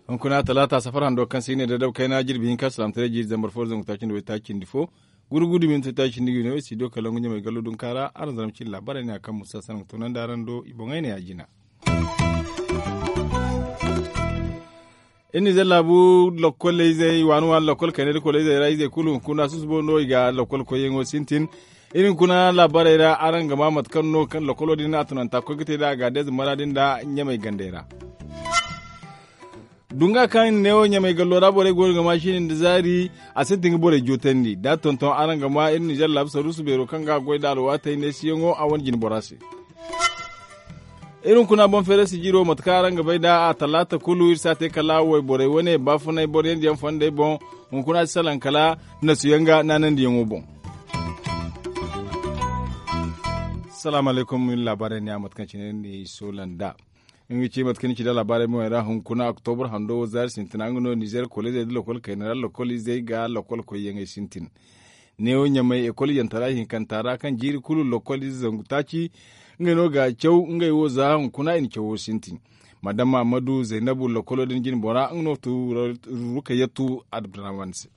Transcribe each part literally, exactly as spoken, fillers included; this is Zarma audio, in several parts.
Hunkuna talaata safar hando kaŋ se i ne daydab kayna jirbi hinka salaamtaray jiiri zambar fo zangu taaci nda way taaci nda fo, guru gudu minti taaci nda ga no i si do kala ngu ɲamay gallo dunka ra araŋ zama cine laabaarey ne a kaŋ musa sanaŋ ga tunandi araŋ do i boŋey ne ya jina. Iri nizer laabu lokol izey waani waani lokol kayna da koloizey ra izey kulu hunkuna susubo no i ga lokol koyyaŋo sintin. Iri hunkuna laabaarey ra araŋ ga ma mate kaŋ no kaŋ lokolo din a tunanta koy ga te nd'a a ga deeze maraadi nda ɲamay gandey ra. Dunga kaŋ neewo ɲamay gallo ra borey go no ga ma siini nda zaari, a sintin ga borey jootandi da a tonton araŋ ga ma iri nizer laabu saruusu beero kaŋ ga a goy nda alwaatey neesiyaŋo a wane jine bora se. Iri hunkuna boŋ feeray sijiro mate kaŋ araŋ ga bay nd'a a talaata kulu iri si a te kala wayborey wane baafunay boryandiyaŋ fondey boŋ. Hunkuna si salaŋ kala nasuyaŋ ga naanandiyaŋo boŋ. Salaamu alaykum iri laabaarey ne a mate kaŋ cine ni soola nd'a. Nga ga ci mate kaŋ ni ci nda laabaarey boŋey ra hunkuna oktobur hando wo zaari sintina nga no nizer koleezey nda lokol kayna ra lokol izey ga lokol koyyaŋey sintin. Neewo ɲamay ekol yantara hinkanta ra kaŋ jiiri kulu lokol ize zangu taaci. Ngey no ga a caw ngey wo za hunkuna i na cawo sintin. Madama ammadu zaynabu lokolo din jine bora nga no tu rukayatu abdurrahman se.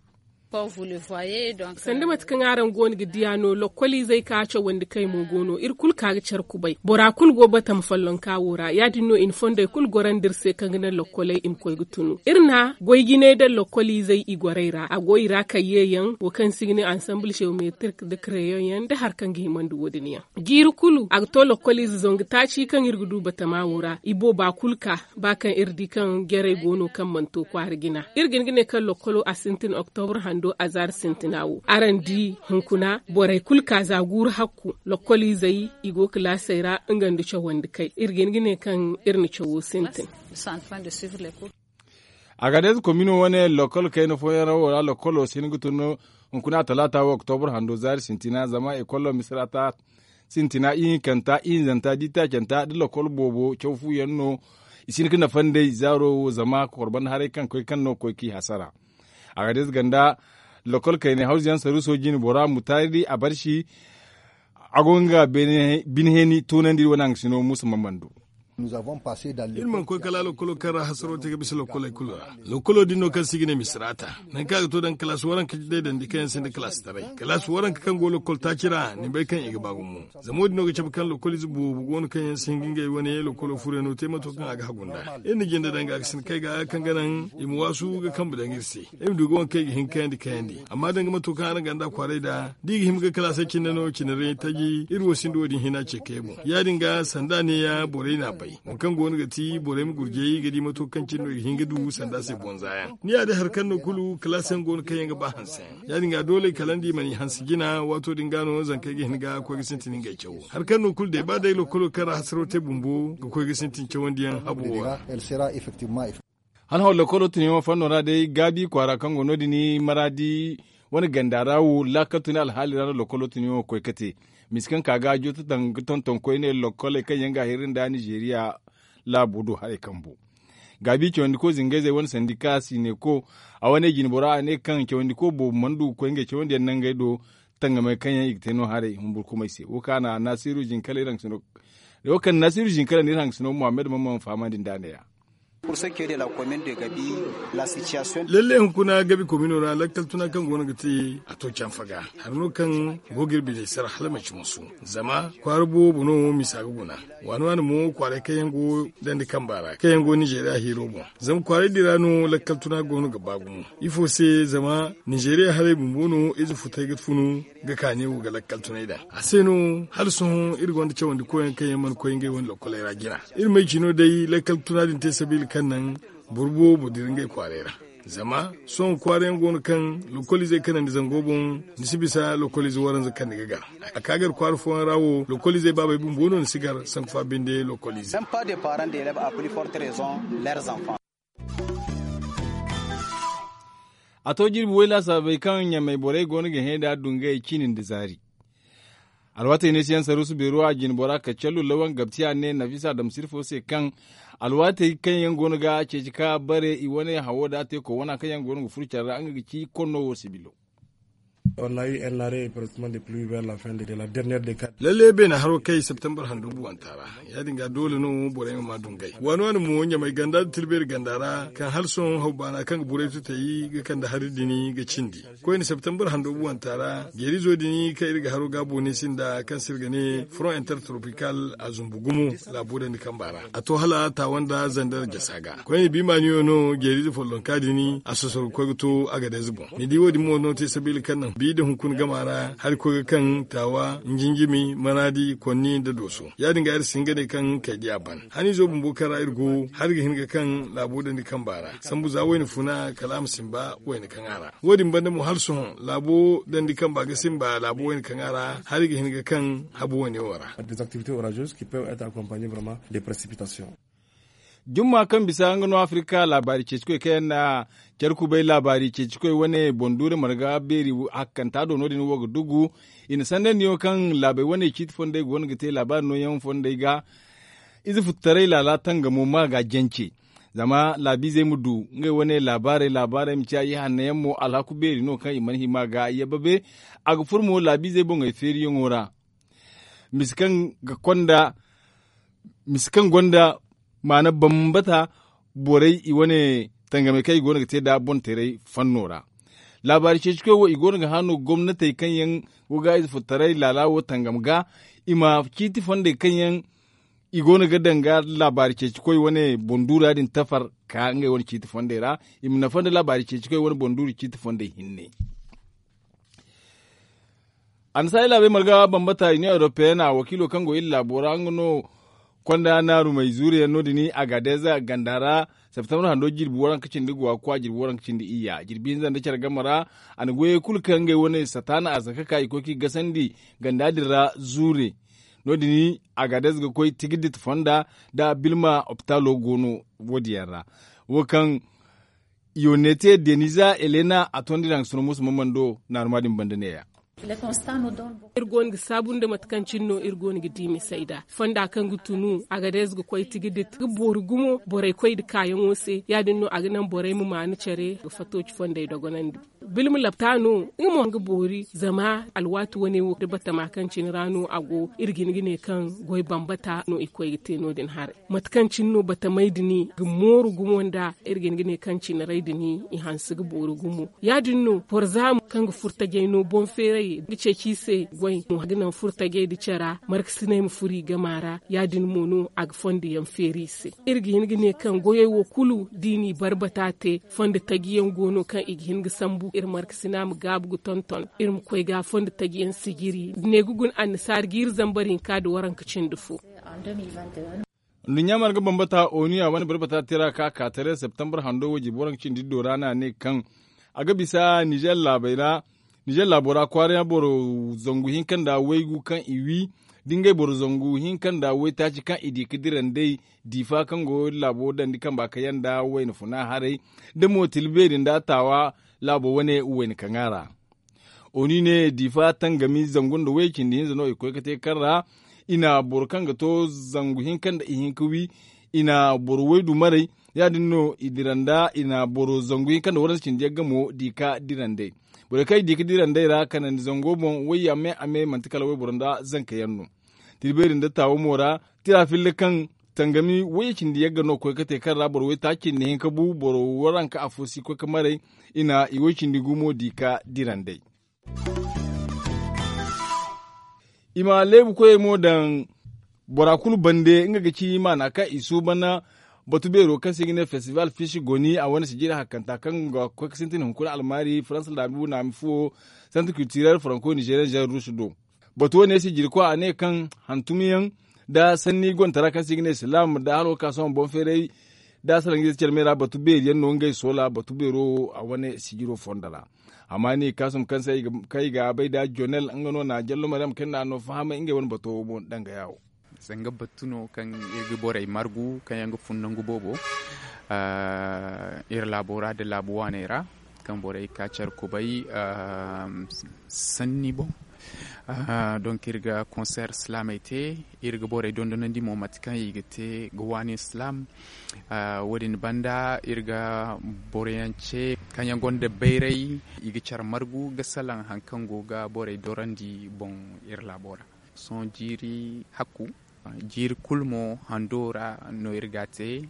Sanda mate kaŋ araŋ go no ga diya no lokol izey ka cawandi kay mo go no iri kulu ka ga care kubay bora kulu go batama follonka wo ra ya- din no i na fondey kulu gorandi iri se kaŋ ga naŋ lokoley i ma koy ga tunu iri na goy jinay daŋ lokol izey i gorey ra a go i ra kayyeyaŋ wo kaŋ se i ga ne ansamble geometrik nda kreyon yaŋ nda hari kaŋ ga himandi wo- din yaŋ. Jiiri kulu a ga to lokol ize zangu taaci kaŋ iri ga du batama wo ra i booba kulu ka ba kaŋ iri di kaŋ jarey go no kaŋ mana to kwaara jina. Iri ga hin ga ne kaŋ lokolo a sintin oktobur hando azaari sintina wo araŋ di hunkuna borey kulu ka za guuru hakku lokol izey i go kalaasey ra nga nda cawandi kay iri ga hin ga ne kaŋ iri na cawo sintin. A ga day za komino wane lokol kayna fooyaŋ ra wo ra lokolo si hin ga tun hunkuna talaata wo oktobur hando zaari sintina zama ekolo misira ta sintina ihinkanta ihinzanta diitaacanta nda lokol boobo caw fu yaŋ no. I si hin ga nafa nd'ey zaaro wo zama kokorba nda haray kaŋ koy kaŋ no ga koy k'i hasara. A ga day za ganda lokol kaynay hawza yaŋ saruuso jine bora mutaari a barsi. A go nga bine heeni toonandi iri wane haŋgasino muusa mamman do. Iri mana koy kala lokolo kaŋ ra hasaro te ga bisa lokoley kulu ra. Lokolo din no kaŋ se i ga ne misiraata nangu kaŋ a ga to daŋ kalaasi waranka day dandi kaŋ yaŋ sinda kalaasi taray kalaasi waranka kaŋ go lokol taaci ra ni bay kaŋ i ga ba gumo. Zama wo- din no ga cabe kaŋ lokol ize boobo go no kaŋ yaŋ si hin ga ngey wane lokolo furyaŋo te mato kaŋ a ga hagu nd'a. Iri na jinde daŋ ga ga sinda kay ga kaŋ ga naŋ i ma waasu ga kambe daŋ iri se. Iri ma du ga waŋ kaŋ i ga hin ga kayandi kayandi amma daŋ ga mato kaŋ araŋ ganda kwaaray nd'a da i ga hima ga kalaasey cine no cine ra taji iri wo sinda wo- din hina ce kay boŋ ya- din ga sanda neeya borey n'a bay waŋ kaŋ go no ga ti borey ma gurjay ga di mato kaŋ cine no i ga hin ga du sanda se boŋ za yaŋ ni ya day hari kaŋ no kulu kalaasey yaŋ go no kaŋ yaŋ ga ba hanse yaŋ ya- din ga doole kala nda i mana i hanse jina waato din ga no zankey ga hin ga koy ga sintin ngey cawo hari kaŋ no kulu day ba day lokolo kaŋ ra hasaro te bumbo ga koy ga sintin cawandiyaŋ habo wo ra. Hala hawru lokolo tunyaŋo fanno ra day gaabi kwaara kaŋ go no- din maraadi wane ganda ra wo laakal tuni alhaali ra no lokolo tunyaŋo ga koy ga te. Misa kaŋ ka ga a jooto daŋ ga tonton koyne lokoley kaŋ yaŋ ga a hirri nda nizeeriya laabo do haray kambu. Gaabi cawandiko zingayzey wane sandika siineko a wane jinbora a ne kaŋ cawandiko boobo mana du ga koy ngey cawandiyaŋ nangey do tangamey kaŋ yaŋ i ga te no haray humburkumey se wo kaŋ a na naasiru jinkala iri haŋgasino. Wo kaŋ naasiru jinkala nda iri haŋgasino muhammad mamman fahamandi nd'a neeya. Lalle hunkuna gabi komino ra lakkal tuna kaŋ go no ga te a to canfa ga hari no kaŋ go ga iri biney sara hala manci musu. Zama kwaara boobo no misa ga guna waani waani mo kwaaray kaŋ yaŋ go dandi kamba ra kaŋ yaŋ go nizeeriya hiiro boŋ. Zama kwaaray din ra no lakkal tuna go no ga ba gumo ifo se zama nizeeriya haray bumbo no ize futay ga funu ga kaani wo ga lakkal tunay daŋ a se no hala sohõ iri gonda cawandi koyaŋ kaŋ yaŋ mana koy ngey wane lokkoley ra jina. Iri may cino day lakkal tuna din te sabiila kaŋ naŋ boro boobo dira ngey kwaaray ra. Zama sohõ kwaara yaŋ go no kaŋ lokkol izey kanandi zango boŋ ni si bisa lokkol ize waranza kaŋ ni ga gar a ka gar kwaara fooyaŋ ra wo lokkol izey baabey bumbo no ni si gar sanku fa binde lokkol ize. A to jirbi way laasaabey kaŋ ɲamey borey go no ga hẽ nd'a dungay ciini nda zaari. Alwaatey neesiyaŋ saruusu beero a jinbora kacallu lawan gabti a ne nafisa damsir fo se kaŋ alwaatey kaŋ yaŋ go no ga ceeci ka bare i wane hawo da a te koy wana kaŋ yaŋ go no ga furo care ra nga ga ci konno wo sibilo. On a eu un arrêt pratiquement de pluie vers la fin de la dernière décade. Lalle beene haro kay septembre handu buwanta ra. Ya- din ga doole no borey ma ma dungay waani waani mo ɲamay ganda da tilbeeri ganda ra kaŋ hala sohõ hawbaana kaŋ ga burey tutay ga kande hari din ga cindi. Koyne septembre hando buwanta ra jeerizo din kaŋ iri ga haro ga boone sinda kaŋ se iri ga ne front intertropical a zumbu gumo laabo dandi kamba ra. A to hala taawa nda zandar jasa ga koyne biimaaniyo no jeerizo follonka din a sosoro ga koy ga to agadez boŋ. Ni di wo- din mo no te sabiila kaŋ naŋ bi nda hunkuna gama ra hari koy ga kaŋ taawa, njinjimi, manaadi, konni nda dooso. Ya- din ga iri si hin ga ne kaŋ kay di a ban haniizo bumbo kaŋ ra iri go hari ga hin ga kaŋ laabo dandi kamba ra sambu za wayna funa kala a ma simba wayna kaŋ a ra. Wo- din banda mo hala sohõ laabo dandi kamba ga simba laabo wayna kaŋ a ra hari ga hin ga kaŋ habu wayne wo ra. Des activités orageuses qui peuvent être accompagnées vraiment de précipitations. Jumma kaŋ bisa nga no afirka laabaari ceeci koy kaŋ yaŋ na care kubay laabaari ceeci koy wane boŋ duure marga beeri hakkanta do no- din wo ga dugu. I na sandandiyaŋo kaŋ laabey wane ciiti fondey go no ga te laabaari nooyaŋ fondey ga. Ize futtaray laala tangamo ma ga jance zama laabiizey ma du ngey wane laabaarey laabaarey ma ciya i hanno yaŋ mo alhaku beeri no kaŋ i mana hima ga yabba be. A ga furo mo laabiizey boŋey feeriyaŋo ra. Mise kaŋ ga konda mise kaŋ gonda maana bambata borey i wane tangamey kaŋ i go no ga te nd'a boŋ teeray fanno ra. Laabaari ceeci koy wo i go no ga hã no gomnatey kaŋ yaŋ go ga ize fo taray laala wo tangam ga i ma ciiti fondey kaŋ yaŋ i go no ga daŋ ga laabaari ceeci koy wane boŋ duura din tafar ka ngey wane ciiti fondey ra. I ma nafa nda laabaari ceeci koy wane boŋ duuru ciiti fondey hinne. Annasaari laabey marga bambata union européenne a wakiilo kaŋ go iri laabo ra nga no konda naarumey zuuriyaŋ no- din agadez ganda ra. Septembre hando jirbi waranka cindi guwa kwa jirbi waranka cindi iyya jirbi hinza nda care game ra. A na goyey kulu kaŋ ngey wane sataana arzaka ka i koy kaŋ i gasandi ganda din ra zuure. No- din agadez ga koy tigidit fonda nda bilma opitalo go no wo- din yaŋ ra. Wo kaŋ yonete deniza elena a tondi daŋ suna musu mamando naaruma din banda neeya. Iri go no ga saabu nda mate kaŋ cine no iri go no ga di misey da fonda kaŋ ga tunu a ga day ize ga koy tigi da ga boori gumo borey koy nda kaayaŋo se ya- din no a ga naŋ borey ma maanu care ga fattooci fondey dogonandi. Bilma lapta no nga mo nga boori zama alwaati wane wo da batama kaŋ cine ra no a go iri ga hin ga ne kaŋ goy bambata no i koy ga te no- din haray. Mate kaŋ cine no batamey din ga mooru gumo nda iri ga hin ga ne kaŋ cine ray din i hanse ga boori gumo. Ya- din no boro za mo kaŋ ga furo tajey no boŋ feeray ga ceeci i se goy mo ga naŋ furo tajey nda cara markasiney ma furo i gama ra. Ya- din mo no a ga fondo yaŋ feeri i se. Iri ga hin ga ne kaŋ goyey wo kulu da i n'i barbata te fondo taji yaŋ go no kaŋ i ga hin ga sambu iri markasina ma gaabu ga tonton iri ma koy ga fondo taji yaŋ sijiri ne ga guna annasaari ga iri zambar hinka nda waranka cindi fo. Nduɲɲa marga bambata onu ya wane barbata tira ka ka tare septembre hando wo jirbi waranka cindi iddo ra no a ne kaŋ a ga bisa nizer laabey ra. Nizer laabo ra kwaara boro zangu hinka nda waygu kaŋ i wi da ngey boro zangu hinka nda waytaaci kaŋ i di ga dira nd'ey diifa kaŋ go laabo dandi kamba kaŋ yaŋ nda wayna funa haray da mo tila beeri nda taawa laabo wane wayna kaŋ a ra. Oni ne diifa tangami zangu nda way cindi hinza no i koy ga te kaŋ ra i na boro kaŋ ga to zangu hinka nda ihinka wi. I na boro waydu maray ya- din no i dira nda i na boro zangu hinka nda waranza cindi yagga mo di ka dira nd'ey. Borey kaŋ i di ga dira nd'ey ra kanandi zango boŋ wayya me a me manti kala wayboro nda zanka yaŋ no. Tira beeri nda taawo mo ra tira filla kaŋ tangami wayye cindi yagga no koy ga te kaŋ ra boro waytaaci cindi hinka bu boro waranka afo si koy ga maray. I na i way cindi gumo di ka dira nd'ey. I ma leebu koyey mo daŋ bora kulu bande nga ga ci maana kaŋ i suuban batu beero kaŋ se i ga ne festival fish goni a wane sijiri hakkanta kaŋ ga koy ga sintin hunkuna almaari faransa laabu naami fuwo santi culturel franco nigerian jean rouge do. Batu wane sijiri koy a ne kaŋ hantumyaŋ nda sanni gontara kaŋ se i ga ne silaam nda halo ga ka sohõ boŋ feeray da salaŋ ize care me ra batu beeri yaŋ no ngey soola batu beero a wane sijiro fondo ra. Amma ni kaasum kaŋ se ay ga bay da jonel nga no na jallo maryam kaŋ na no fahamay ngey wane bato boŋ danga yaawo. Zanga battu no kaŋ iri ga borey margu kaŋ yaŋ ga fun nangu boobo iri laabo ra nda laabu waaney ra kaŋ borey ga ka care kubay sanni boŋ. Donk iri ga konseer silaamey te. Iri ga borey dondonandi mo mate kaŋ i ga te ga waani silaam. Wo- din banda iri ga boroyaŋ ce kaŋ yaŋ gonda bayray, i ga care margu ga salaŋ hari kaŋ go ga borey dorandi boŋ iri laabo ra. Sohõ jiiri hakku, jiiri kulu mo hando ra no iri ga a te.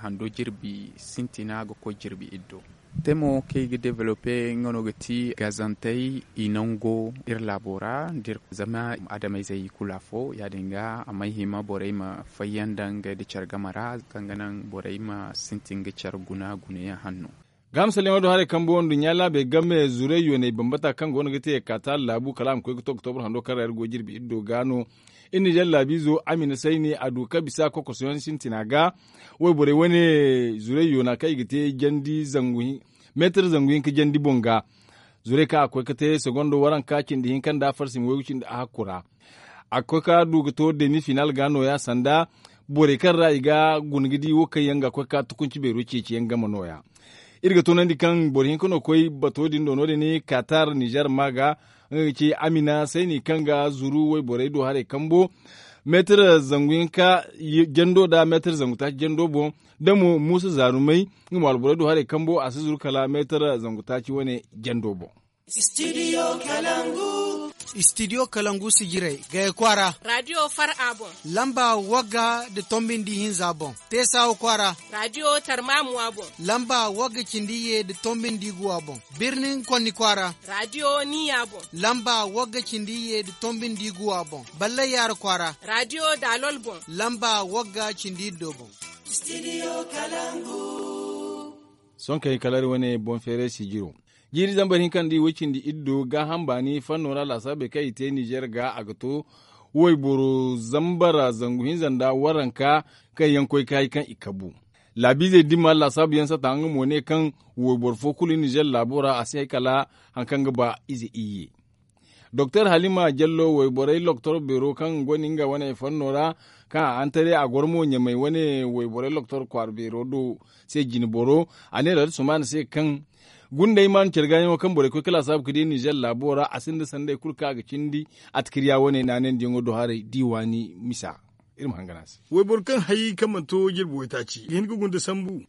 Hando jirbi sintina ga koy jirbi iddo. Te mo kaŋ i ga developpe nga no ga ti gazantey i nango iri laabo ra. Zama adamayzey i kulu afo ya- din ga a may hima borey ma fayyaŋ daŋ ngey nda care game ra kaŋ ga naŋ borey ma sintin ga care guna gunayaŋ hanno. Gaaham salyaŋo do haray kambo nduɲɲa laabey game zurey yooney bambata kaŋ go no ga te kaata laabu kala a ma koy ga to oktobur hando kaŋ ra iri go jirbi iddo ga no. Iri nizeer laabiizo amina sayni a du ka bisa kokosoyaŋ sintina ga. Wayborey wane zurey yoona kaŋ i ga te jandi zangu meetar zangu hinka jandi boŋ ga. Zurey kaŋ a koy ga te segondo waranka cindi hinka nda farsi ma waygu cindi a hakku ra. A ga koy ka du ga to demi final ga nooya sanda borey kaŋ ra i ga guna ga di wo kaŋ yaŋ ga koy ka tukunci beero ceeciyaŋ game nooya. Iri ga toonandi kaŋ boro hinka no koy bato din do no- din katar nizeer ma ga nga ga ci amina sayni kaŋ ga zuru wayborey do haray kambo meetar zangu hinka jando nda meetar zangu taaci jando boŋ. Da mo muusa zaarumay nga mo alborey do haray kambo a si zuru kala meetar zangu taaci wane jando boŋ. Istidiyo kalangu sijirey gaya kwaara. Raadiyo far a boŋ. Lamba wagga nda tombi nda ihinza boŋ. Teesawa kwaara. Raadiyo tarmaamuwa boŋ. Lamba wagga cindi iyye nda tombi nda iguwa boŋ. Birnin konni kwaara. Raadiyo niya boŋ. Lamba wagga cindi iyye nda tombi nda iguwa boŋ. Ballay yaara kwaara. Raadiyo daalol boŋ. Lamba wagga cindi iddo boŋ. Sohõ kaŋ i kala iri wane boŋ feeray sijiro. Jiiri zambar hinka nda i way cindi iddo gaaham baani fanno ra laasaabey kaŋ i te nizeer ga a ga to wayboro zambara zangu hinza nda waranka kaŋ yaŋ koy ka hay kaŋ i kabu. Laabiizey dimma laasaabuyaŋ sata nga mo ne kaŋ wayboro fo kulu nizeer laabo ra a si hay kala hari kaŋ ga ba ize iyye. Doktor halima jallo wayborey loktor beero kaŋ go no nga wane fanno ra kaŋ a hantare a goro mo ɲamay wane wayborey loktor kwaara beero do se jine boro a ne radi sumaana se kaŋ gundey maanu care gaayaŋo kaŋ borey koy ka laasaabu ga di nizeer laabo ra a sinda sanday kulu kaŋ a ga cindi atikirya wane naanandiyaŋo do haray diiwaani misa. Iri ma hangan a se. Wayboro kaŋ hay kaŋ mana to jirbi waytaaci ga hin ga gunda sambu.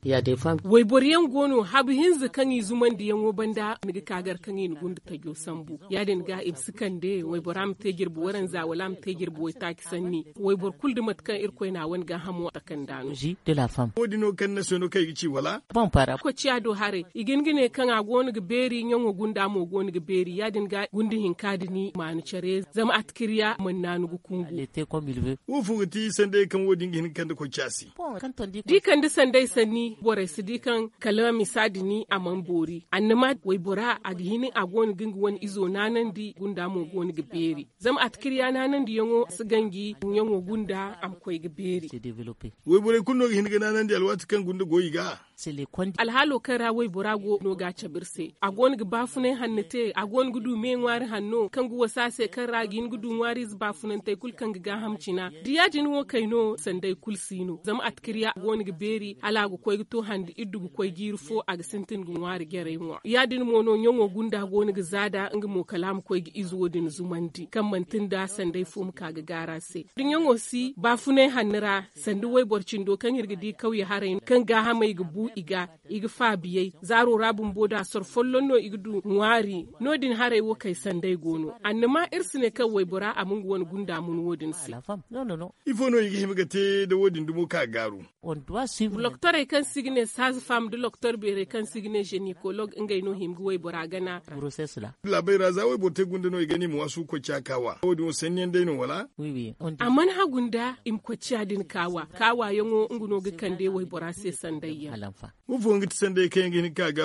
Wayboro yaŋ go no habu hinza kaŋ i zumandiyaŋo banda ni ga ka gar kaŋ i na gunda tajo sambu. Ya- din ga i ma si kande waybora ma te jirbi waranza wala a ma te jirbi waytaaci sanni. Wayboro kulu da mate kaŋ irkoy na a wane gaahamo takanda no. Wo- din no kaŋ ni na se no kaŋ i ga ci wala? Kociya do haray i ga hin ga ne kaŋ a go no ga beeri ɲaŋo gunda mo go no ga beeri ya- din ga gunda hinka da ni maanu care zama atikirya mana naanu ga kungu. Wo fo ga ti sanday kaŋ wo- din ga hin ga kande koy caasi? Da i kande sanday sanni borey si di kaŋ kala misa din a mana boori annama waybora a ga hin a go no ga nga wane izo naanandi gunda mo go no ga beeri. Zama atikirya naanandiyaŋo si ganji ɲaŋo gunda a ma koy ga beeri. Wayborey kulu no ga hin ga naanandi alwaati kaŋ gunda go i ga. Alhaalo kaŋ ra waybora go no ga a cabe iri se a go no ga baafunay hanno te a go no ga du me ŋwaari hanno kaŋ ga wasa se kaŋ ra a ga hin ga du ŋwaariize baafunantey kulu kaŋ ga gaaham cina da ya- din wo kay no sanday kulu si no zama atikirya a go no ga beeri hala a ga koy ga to hande iddu ga koy jiiri fo a ga sintin ga ŋwaari jarey ŋwa ya- din mo no ɲaŋo gunda go no ga zaada nga mo kala a ma koy ga ize wo- din zumandi kaŋ manti nda sanday fo ma ka ga gaara se da ɲaŋo si baafunay hanno ra sanda wayboro cindo kaŋ iri ga di kawye haray kaŋ gaahamey ga bu i ga i ga faabiyey zaaro ra bumbo da soro folloŋ no i ga du ŋwaari no- din haray wo kay sanday go no annama iri si ne kaŋ waybora a ma nga wane gunda mun wo- din se. Ifo no i ga hima ga te da wo- din dumo ka gaaru? Loktorey kaŋ se i ga ne saaza fam nda loktor beerey kaŋ se i ga ne zenekolog ngey no hima ga waybora gana. Laabey ra za wayboro te gunda no i ga ne i ma waasu ga koy ciya kaawa wo- din wo sanniyaŋ day no wala? A mana hagu nda i ma koy ciya din kaawa kaawayaŋo nga no ga kande waybora se sandayyaŋ. Wo fo nga ti sanday kaŋ yaŋ ga hin ga ka ga?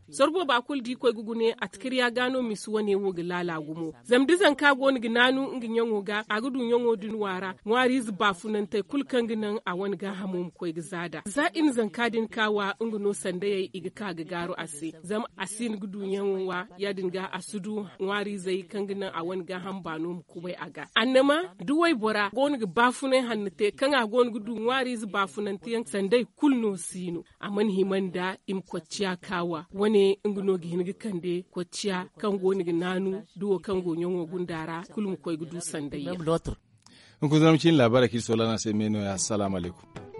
Soro booba kulu da i koy ga gune atikirya ga no misi wane wo ga laala gumo zama da zanka go no ga naanu nga ɲaŋo ga a ga du ɲaŋo din waara ŋwaariize baafunantey kulu kaŋ ga naŋ a wane gaahamo ma koy ga zaada za i na zanka din kaawa nga no sandayey i ga ka ga gaaru a se zama a si hin ga du ɲaŋo wa ya- din ga a si du ŋwaariizey kaŋ ga naŋ a wane gaaham baano ma kubay a ga annama da waybora go no ga baafunay hanno te kaŋ a go no ga du ŋwaariize baafunanteyaŋ sanday kulu no si. no a mana hima nda i ma kocciya kaawa wane nga no ga hin ga kande kocciya kaŋ go no ga naanu da wo kaŋ go ɲaŋo gunda ra kulu ma koy ga du sanda yaŋ. Hunkuna zama cine laabaarey kaŋ iri soolana se me no- ya assalamu alaykum.